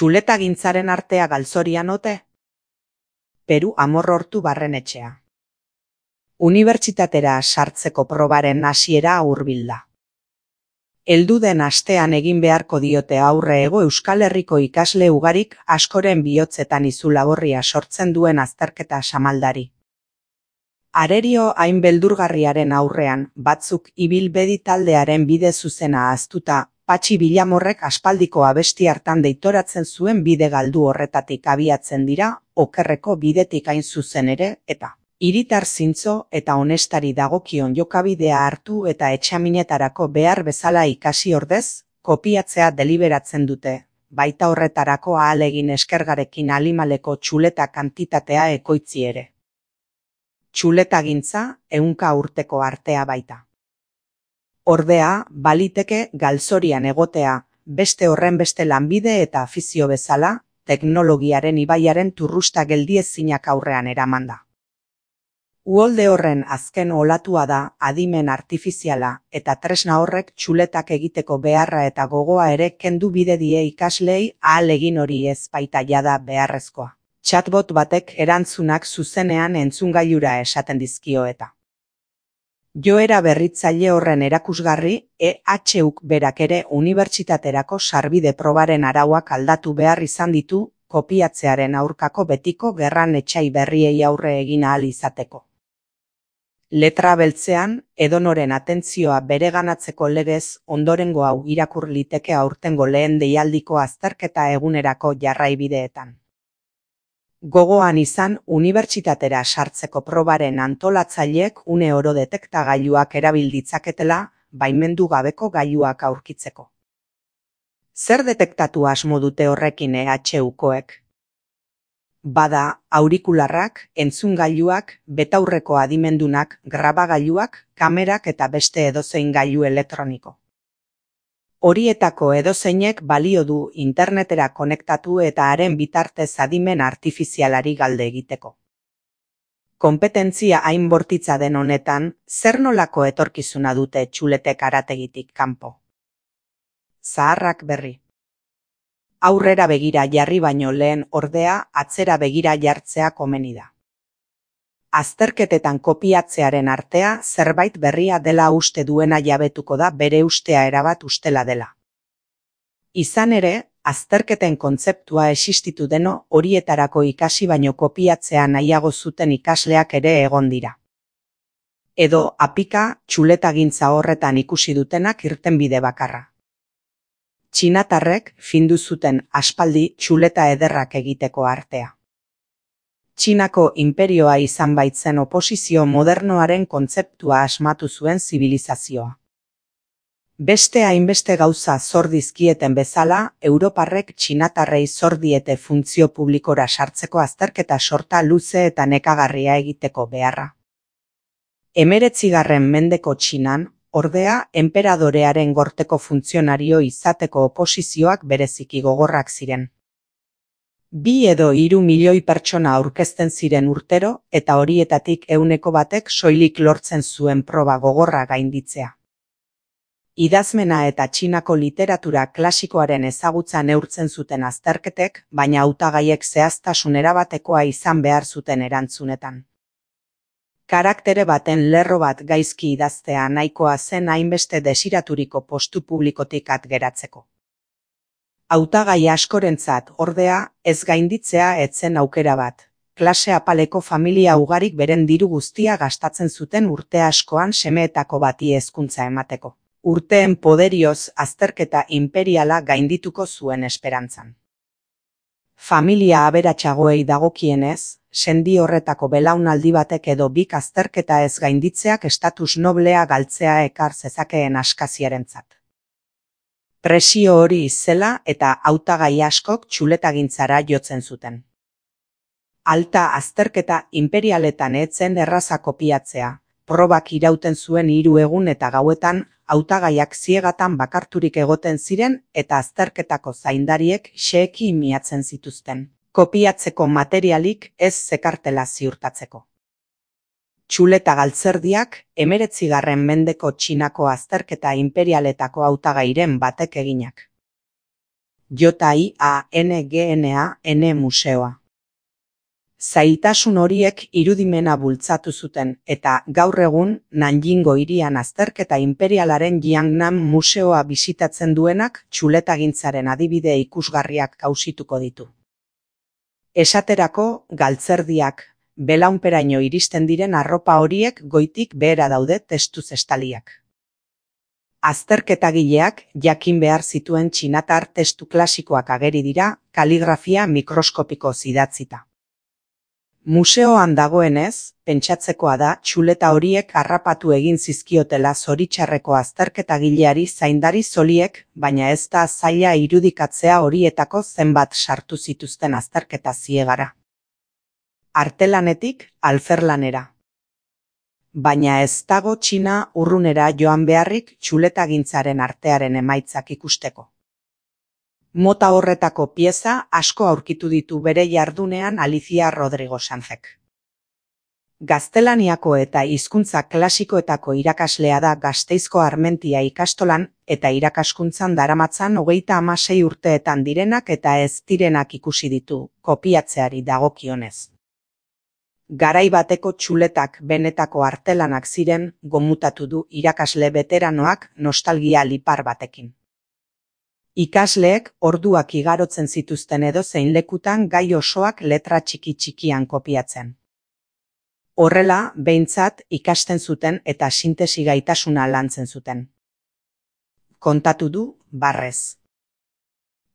Txuletagintzaren artea galzorian ote? Peru Amorortu Barrenetxea. Unibertsitatera sartzeko probaren hasiera hurbilda. Heldu den astean egin beharko diote aurre Hego Euskal Herriko ikasle ugarik askoren bihotzetan izu laborria sortzen duen azterketa samaldari. Arerio hain beldurgarriaren aurrean, batzuk ibilbedi taldearen bide zuzena ahaztuta, Patxi Bilamorrek aspaldiko abesti hartan deitoratzen zuen bide galdu horretatik abiatzen dira, okerreko bidetik hain zuzen ere, eta hiritar zintzo eta honestari dagokion jokabidea hartu eta etxaminetarako behar bezala ikasi ordez, kopiatzea deliberatzen dute, baita horretarako ahalegin eskergarekin alimaleko txuleta kantitatea ekoitzi ere. Txuletagintza 100 urteko artea baita. Ordea, baliteke galzorian egotea, beste horrenbeste lanbide eta afizio bezala, teknologiaren ibaiaren turrusta geldiezinak aurrean eramanda. Uholde horren azken olatua da adimen artifiziala eta tresna horrek txuletak egiteko beharra eta gogoa ere kendu bide die ikaslei ahalegin hori ez baita jada beharrezkoa. Chatbot batek erantzunak zuzenean entzungailura esaten dizkio eta. Joera berritzaile horren erakusgarri, EHUk berak ere unibertsitaterako sarbide probaren arauak aldatu behar izan ditu, kopiatzearen aurkako betiko gerran etsai berriei aurre egin ahal izateko. Letra beltzean, edonoren atentzioa bereganatzeko legez, ondorengo hau irakur liteke aurtengo lehen deialdiko azterketa egunerako jarraibideetan. Gogoan izan unibertsitatera sartzeko probaren antolatzaileek une oro detektagailuak erabil ditzaketela, baimendu gabeko gailuak aurkitzeko. Zer detektatu asmo dute horrekin EHUkoek? Bada, aurikularrak, entzungailuak, betaurreko adimendunak, grabagailuak, kamerak eta beste edozein gailu elektroniko. Horietako edozeinek balio du internetera konektatu eta haren bitartez adimen artifizialari galde egiteko. Konpetentzia hain bortitza den honetan, zer nolako etorkizuna dute txuletek harategitik kanpo? Zaharrak berri. Aurrera begira jarri baino lehen ordea atzera begira jartzea komeni da. Azterketetan kopiatzearen artea zerbait berria dela uste duena jabetuko da bere ustea erabat ustela dela. Izan ere, azterketen kontzeptua existitu deno horietarako ikasi baino kopiatzea nahiago zuten ikasleak ere egon dira. Edo apika txuletagintza horretan ikusi dutenak irtenbide bakarra. Txinatarrek findu zuten aspaldi txuleta ederrak egiteko artea. Txinako inperioa izan baitzen oposizio modernoaren kontzeptua asmatu zuen zibilizazioa. Beste hainbeste gauza zor dizkieten bezala, Europarrek txinatarrei zor diete funtzio publikora sartzeko azterketa sorta luze eta nekagarria egiteko beharra. 19. mendeko Txinan, ordea, enperadorearen gorteko funtzionario izateko oposizioak bereziki gogorrak ziren. 2 edo 3 milioi pertsona aurkezten ziren urtero eta horietatik 100 soilik lortzen zuen proba gogorra gainditzea. Idazmena eta Txinako literatura klasikoaren ezagutza neurtzen zuten azterketek, baina hautagaiek zehaztasun erabatekoa izan behar zuten erantzunetan. Karaktere baten lerro bat gaizki idaztea nahikoa zen hainbeste desiraturiko postu publikotik at geratzeko. Hautagai askorentzat ordea, ez gainditzea etzen aukera bat. Klase apaleko familia ugarik beren diru guztia gastatzen zuten urte askoan semeetako bati hezkuntza emateko. Urteen poderioz azterketa imperiala gaindituko zuen esperantzan. Familia aberatsagoei dagokienez, sendi horretako belaunaldi batek edo bik azterketa ez gainditzeak estatus noblea galtzea ekar zezakeen askaziarentzat. Presio hori izela eta hautagai askok txuletagintzara jotzen zuten. Alta azterketa imperialetan etzen erraza kopiatzea, probak irauten zuen 3 egun eta gauetan, hautagaiak ziegatan bakarturik egoten ziren eta azterketako zaindariek xeheki miatzen zituzten, kopiatzeko materialik ez zekartela ziurtatzeko. Txuleta galtzerdiak 19. mendeko Txinako azterketa imperialetako hautagairen batek eginak. JIANGNAN museoa. Zailtasun horiek irudimena bultzatu zuten eta gaur egun Nanjingo hirian azterketa inperialaren Jiangnan museoa bisitatzen duenak txuletagintzaren adibide ikusgarriak kausituko ditu. Esaterako, galtzerdiak, belaunperaino iristen diren arropa horiek goitik behera daude testuz estaliak. Azterketagileak jakin behar zituen txinatar testu klasikoak ageri dira kaligrafia mikroskopikoz idatzita. Museoan dagoenez, pentsatzekoa da txuleta horiek harrapatu egin zizkiotela zoritxarreko azterketagileari zaindari zoliek, baina ez da zaila irudikatzea horietako zenbat sartu zituzten azterketa ziegara. Artelanetik alferlanera. Baina ez dago Txina urrunera joan beharrik txuletagintzaren artearen emaitzak ikusteko. Mota horretako pieza asko aurkitu ditu bere jardunean Alicia Rodrigo Sanzek. Gaztelaniako eta hizkuntza klasikoetako irakaslea da Gasteizko Armentia ikastolan eta irakaskuntzan daramatzan 36 urteetan direnak eta ez direnak ikusi ditu, kopiatzeari dagokionez. Garai bateko txuletak benetako artelanak ziren, gomutatu du irakasle beteranoak nostalgia lipar batekin. Ikasleek orduak igarotzen zituzten edozein lekutan gai osoak letra txiki-txikian kopiatzen. Horrela, behintzat ikasten zuten eta sintesi gaitasuna lantzen zuten. Kontatu du, barrez.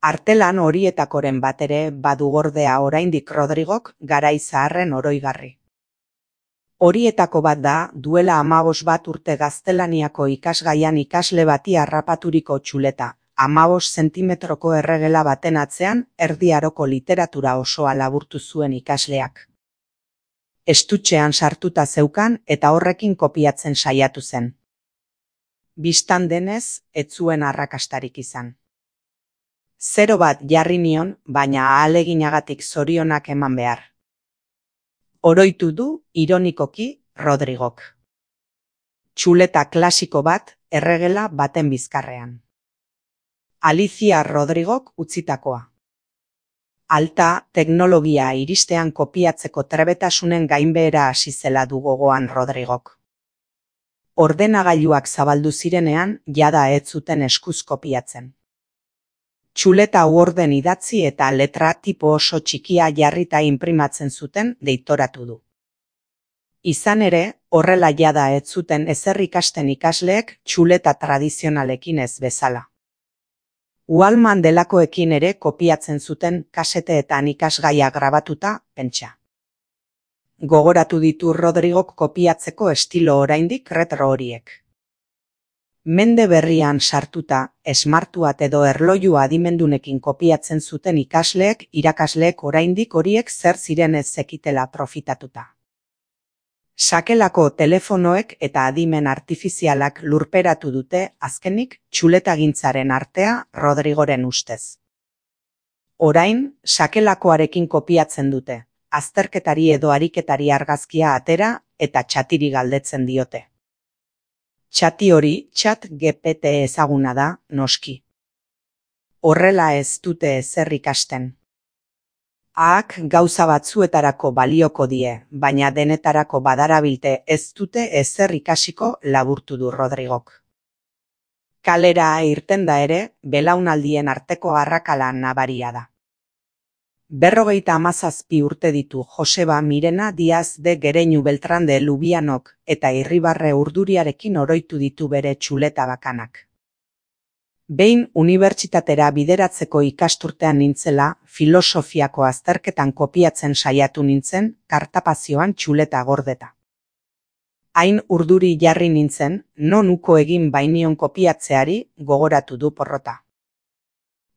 Artelan horietakoren bat ere badu gordea oraindik Rodrigok garai zaharren oroigarri. Horietako bat da, duela 15 urte gaztelaniako ikasgaian ikasle bati harrapaturiko txuleta, 15 zentimetroko erregela baten atzean Erdi Aroko literatura osoa laburtu zuen ikasleak. Estutxean sartuta zeukan eta horrekin kopiatzen saiatu zen. Bistan denez, ez zuen arrakastarik izan. 0 bat jarri nion, baina ahaleginagatik zorionak eman behar. Oroitu du, ironikoki, Rodrigok. Txuleta klasiko bat, erregela baten bizkarrean. Alicia Rodrigok utzitakoa. Alta, teknologia iristean kopiatzeko trebetasunen gainbehera hasi zela du gogoan Rodrigok. Ordenagailuak zabaldu zirenean, jada ez zuten eskuz kopiatzen. Txuleta uorden idatzi eta letra tipo oso txikia jarrita inprimatzen zuten deitoratu du. Izan ere, horrela jada ez zuten ezer ikasten ikasleek txuleta tradizionalekin ez bezala. Uhalman delakoekin ere kopiatzen zuten kaseteetan ikasgaia grabatuta, pentsa. Gogoratu ditu Rodrigok kopiatzeko estilo oraindik retro horiek. Mende berrian sartuta, esmartuat edo erloju adimendunekin kopiatzen zuten irakasleek oraindik horiek zer ziren ez zekitela profitatuta. Sakelako telefonoek eta adimen artifizialak lurperatu dute azkenik txuletagintzaren artea Rodrigoren ustez. Orain, sakelakoarekin kopiatzen dute, azterketari edo ariketari argazkia atera eta txatiri galdetzen diote. Txati hori ChatGPT ezaguna da, noski. Horrela ez dute ezer ikasten. Ahak gauza batzuetarako balioko die, baina denetarako badarabilte ez dute ezer ikasiko laburtu du Rodrigok. Kalera irten da ere, belaunaldien arteko arrakala nabaria da. 57 urte ditu Joseba Mirena Diaz de Gereñu Beltrán de Lubianok eta Irribarre Urduriarekin oroitu ditu bere txuleta bakanak. Behin unibertsitatera bideratzeko ikasturtean nintzela, filosofiako azterketan kopiatzen saiatu nintzen, kartapazioan txuleta gordeta. Hain urduri jarri nintzen, non uko egin bainion kopiatzeari gogoratu du porrota.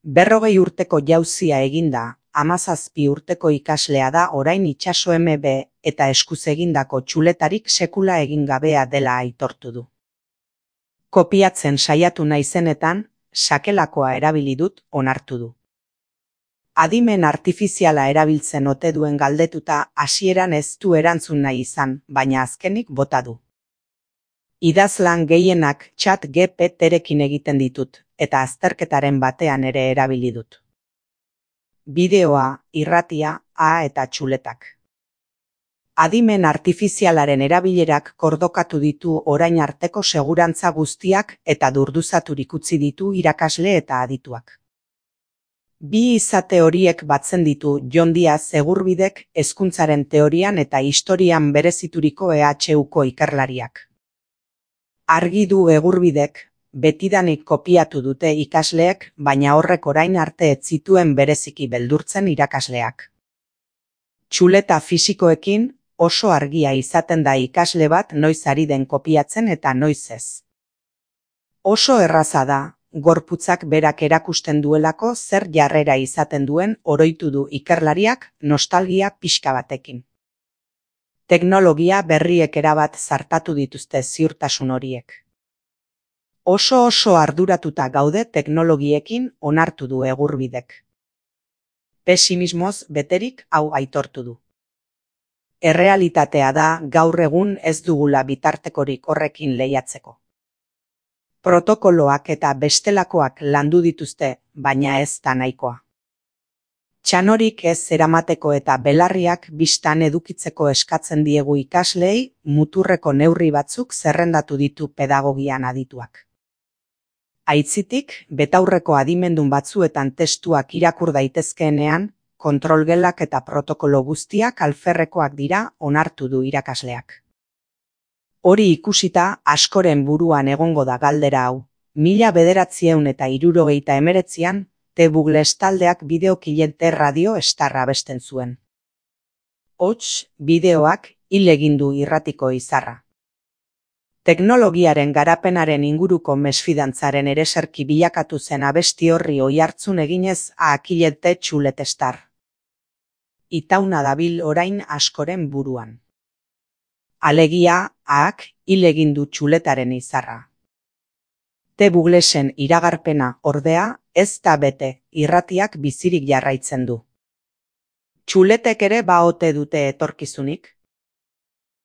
40 urteko jauzia eginda, 17 urteko ikaslea da orain itsaso MB eta eskuz egindako txuletarik sekula egin gabea dela aitortu du. Kopiatzen saiatu naizenetan, sakelakoa erabili dut onartu du. Adimen artifiziala erabiltzen ote duen galdetuta hasieran ez du erantzun nahi izan, baina azkenik bota du. Idazlan gehienak ChatGPTrekin egiten ditut, eta azterketaren batean ere erabili dut. bideoa, irratia, eta txuletak. Adimen artifizialaren erabilerak kordokatu ditu orain arteko segurantza guztiak eta durduzaturik utzi ditu irakasle eta adituak. Bi izate horiek batzen ditu Jon Diaz Egurbidek hezkuntzaren teorian eta historian berezituriko EHUko ikerlariak. Argi du Egurbidek, betidanik kopiatu dute ikasleek, baina horrek orain arte ez zituen bereziki beldurtzen irakasleak. Txuleta fisikoekin oso argia izaten da ikasle bat noiz ari den kopiatzen eta noiz ez. Oso erraza da, gorputzak berak erakusten duelako zer jarrera izaten duen oroitu du ikerlariak nostalgia pixka batekin. Teknologia berriek erabat zartatu dituzte ziurtasun horiek. Oso arduratuta gaude teknologiekin onartu du Egurbidek. Pesimismoz beterik hau aitortu du. Errealitatea da gaur egun ez dugula bitartekorik horrekin lehiatzeko. Protokoloak eta bestelakoak landu dituzte, baina ez da nahikoa. Txanorik ez eramateko eta belarriak bistan edukitzeko eskatzen diegu ikaslei, muturreko neurri batzuk zerrendatu ditu pedagogian adituak. Aitzitik, betaurreko adimendun batzuetan testuak irakur daitezkeenean, kontrolgelak eta protokolo guztiak alferrekoak dira onartu du irakasleak. Hori ikusita askoren buruan egongo da galdera hau, 1979an The Buggles taldeak bideokilete Radio Star abesten zuen. Hots, bideoak hil egin du irratiko izarra. Teknologiaren garapenaren inguruko mesfidantzaren ereserki bilakatu zen abesti horri oihartzun eginez akilete txulet Star. Itauna dabil orain askoren buruan. Alegia, hil egin du txuletaren izarra. The Bugglesen iragarpena, ordea, ez da bete, irratiak bizirik jarraitzen du. Txuletek ere baote dute etorkizunik.